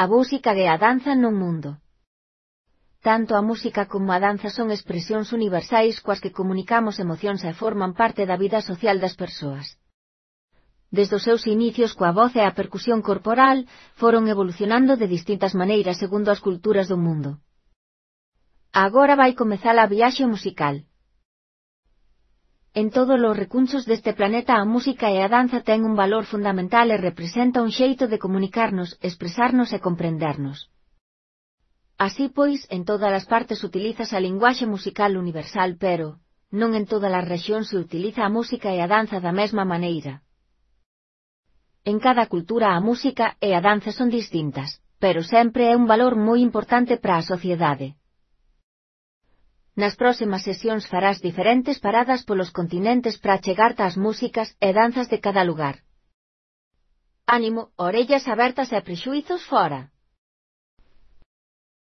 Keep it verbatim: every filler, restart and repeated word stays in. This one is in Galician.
a música e a danza no mundo. Tanto a música como a danza son expresións universais coas que comunicamos emocións e forman parte da vida social das persoas. Desde os seus inicios coa voz e a percusión corporal, foron evolucionando de distintas maneiras segundo as culturas do mundo. Agora vai comezar a viaxe musical. En todos os recunchos deste planeta a música e a danza ten un valor fundamental e representa un xeito de comunicarnos, expresarnos e comprendernos. Así pois, en todas as partes utilizas a linguaxe musical universal pero, non en todas as rexións se utiliza a música e a danza da mesma maneira. En cada cultura a música e a danza son distintas, pero sempre é un valor moi importante para a sociedade. Nas próximas sesións farás diferentes paradas polos continentes para chegarte ás músicas e danzas de cada lugar. Ánimo, orellas abertas e prexuízos fora.